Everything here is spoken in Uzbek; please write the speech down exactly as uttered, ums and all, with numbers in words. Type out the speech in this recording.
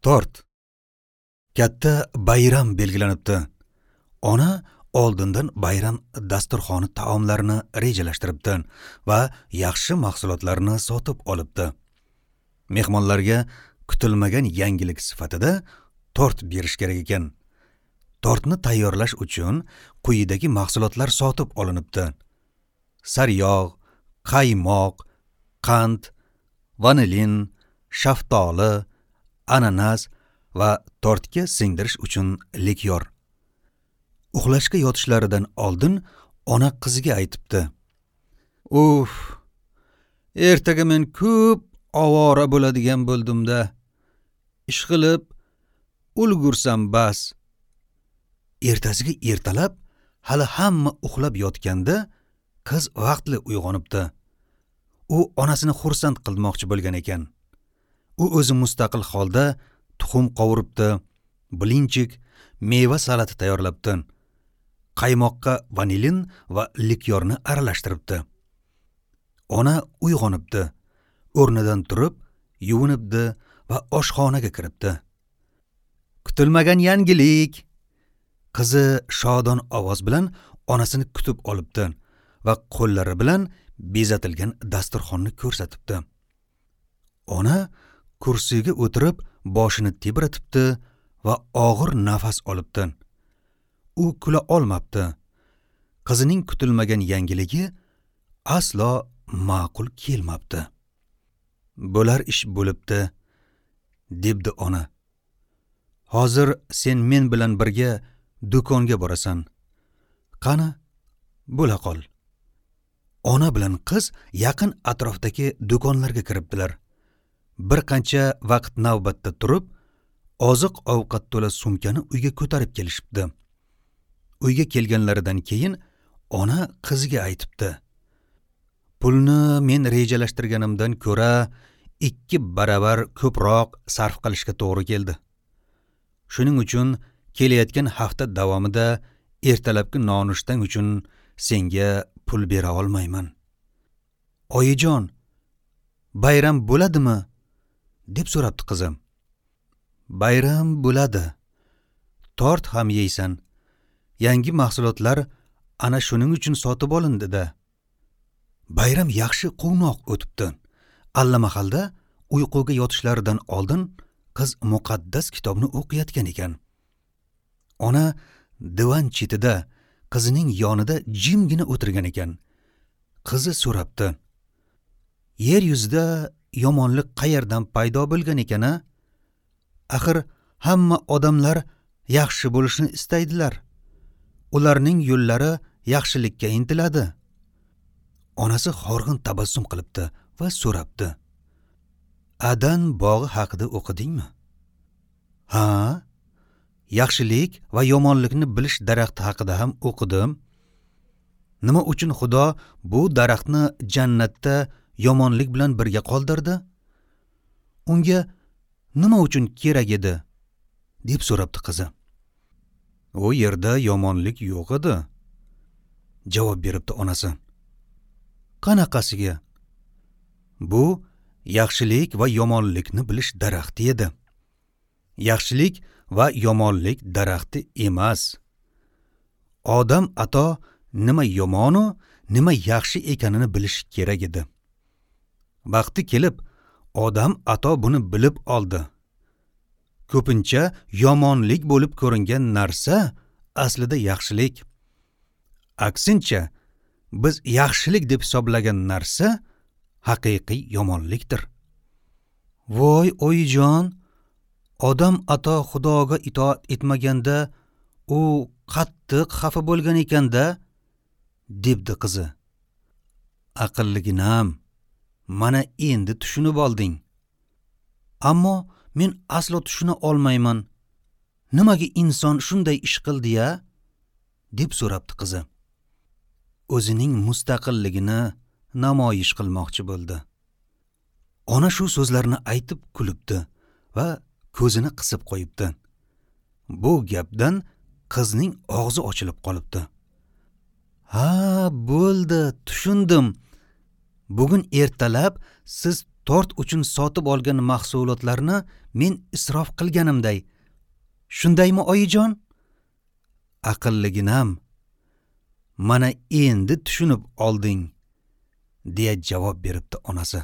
Tort. Katta bayram belgilanibdi. Ona oldindan bayram dasturxoni taomlarini rejalashtiribdi va yaxshi mahsulotlarni sotib olibdi. Mehmonlarga kutilmagan yangilik sifatida tort berish kerak ekan. Tortni tayyorlash uchun quyidagi mahsulotlar sotib olinibdi: sariyog', qaymoq, qand, vanilin, shaftoli, ananas va tortga singdirish uchun likyor. Uxlashga yotishlaridan oldin ona qiziga aytibdi: "Uf, ertaga men ko'p ovora bo'ladigan bo'ldim-da. Ishqilib ulgursam bas." Ertasiga ertalab hali hamma uxlab yotganda qiz vaqtli uyg'onibdi. U onasini xursand qilmoqchi bo'lgan ekan. U o'zi mustaqil holda tuxum qovuribdi, blinchik, meva salati tayyorlabdi. Qaymoqqa vanilin va likyorni aralashtiribdi. Ona uyg'onibdi. O'rnidan turib, yuvinibdi va oshxonaga kiribdi. Kutilmagan yangilik! Qizi shodon ovoz bilan onasini kutib olibdi va qo'llari bilan bezatilgan dasturxonni ko'rsatibdi. Ona kursiga o'tirib, boshini tebratibdi va og'ir nafas olibdi. U kula olmabdi. Qizining kutilmagan yangiligi aslo ma'qul kelmabdi. Bo'lar ish bo'libdi, debdi ona. Hozir sen men bilan birga do'konga borasan. Qani, bo'la qol. Ona bilan qiz yaqin atrofdagi do'konlarga kiribdilar. Bir qancha vaqt navbatda turib, oziq-ovqat to'la sumkani uyga ko'tarib kelishibdi. Uyga kelganlaridan keyin ona qiziga aytibdi: "Pulni men rejalashtirganimdan ko'ra ikki baravar ko'proq sarf qilishga to'g'ri keldi. Shuning uchun kelayotgan hafta davomida ertalabki nonushtang uchun senga pul bera olmayman." "Oyijon, bayram bo'ladimi?" deb so'rabdi qizim. "Bayram bo'ladi. Tort ham yeysan. Yangi mahsulotlar ana shuning uchun sotib olindi-da." Bayram yaxshi quvnoq o'tibdi. Allamahalda uyquga yotishlaridan oldin qiz muqaddas kitobni o'qiyotgan ekan. Ona divan chetida qizining yonida jimgina o'tirgan ekan. Qizi so'rabdi: "Yer yuzida yomonlik qayerdan paydo bo'lgan ekan-a? Axir hamma odamlar yaxshi bo'lishni istaydilar. Ularning yo'llari yaxshilikka intiladi." Onasi horg'in tabassum qilibdi va so'rabdi: "Adan bog'i haqida o'qidingmi?" "Ha, yaxshilik va yomonlikni bilish daraxti haqida ham o'qidim. Nima uchun Xudo bu daraxtni jannatda yomonlik bilan birga qoldirdi? Unga nima uchun kerak edi?" deb so'rabdi qizi. "U yerda yomonlik yo'q edi," javob beribdi onasi. "Qanaqasiga? Bu yaxshilik va yomonlikni bilish daraxti edi. Yaxshilik va yomonlik daraxti emas. Odam ato nima yomonu, nima yaxshi ekanini bilish kerak edi. Vaqti kelib, odam ato buni bilib oldi. Ko'pincha yomonlik bo'lib ko'ringan narsa aslida yaxshilik. Aksincha, biz yaxshilik deb hisoblagan narsa haqiqiy yomonlikdir." "Voy oyijon, odam ato Xudoga itoat etmaganda u qattiq xafa bo'lgan ekanda," debdi qizi. "Aqlliginam, mana endi tushunib olding. Ammo men aslo tushuna olmayman. Nimaga inson shunday ish qildi-ya?" deb so'rabdi qizi. O'zining mustaqilligini namoyish qilmoqchi bo'ldi. Ona shu so'zlarni aytib kulibdi va ko'zini qisib qo'yibdi. Bu gapdan qizning og'zi ochilib qolibdi. "Ha, bo'ldi, tushundim. Bugun ertalab siz Tort uchun sotib olgan mahsulotlarni men isrof qilganimday. Shundaymi, oyijon? Aqlliginam, mana endi tushunib olding, deya javob beribdi onasi.